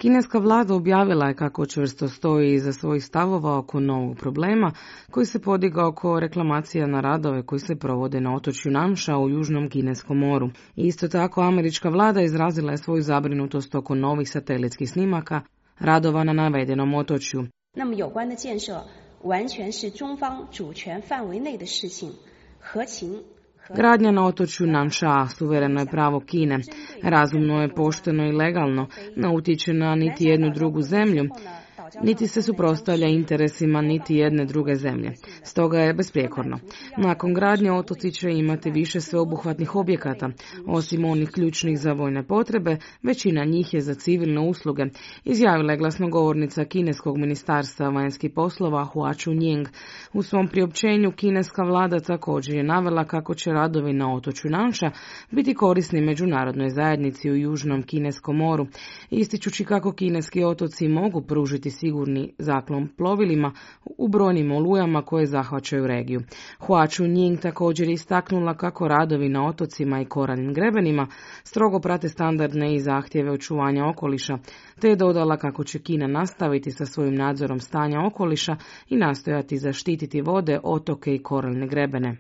Kineska vlada objavila je kako čvrsto stoji iza svojih stavova oko novog problema koji se podigao oko reklamacija na radove koji se provode na otočju Nansha u Južnom Kineskom moru. Isto tako, američka vlada izrazila je svoju zabrinutost oko novih satelitskih snimaka radova na navedenom otočju. Gradnja na otočju Nansha suvereno je pravo Kine. Razumno je, pošteno i legalno, ne utječe na niti jednu drugu zemlju, niti se suprotstavlja interesima niti jedne druge zemlje. Stoga je besprijekorno. Nakon gradnje otoci će imati više sveobuhvatnih objekata. Osim onih ključnih za vojne potrebe, većina njih je za civilne usluge, izjavila je glasnogovornica kineskog ministarstva vanjskih poslova Hua Chunying. U svom priopćenju kineska vlada također je navela kako će radovi na otočju Nansha biti korisni međunarodnoj zajednici u Južnom Kineskom moru, ističući kako kineski otoci mogu pružiti sigurni zaklon plovilima u brojnim olujama koje zahvaćaju regiju. Hua Chunying također istaknula kako radovi na otocima i koralnim grebenima strogo prate standardne i zahtjeve očuvanja okoliša, te je dodala kako će Kina nastaviti sa svojim nadzorom stanja okoliša i nastojati zaštititi vode, otoke i koralne grebene.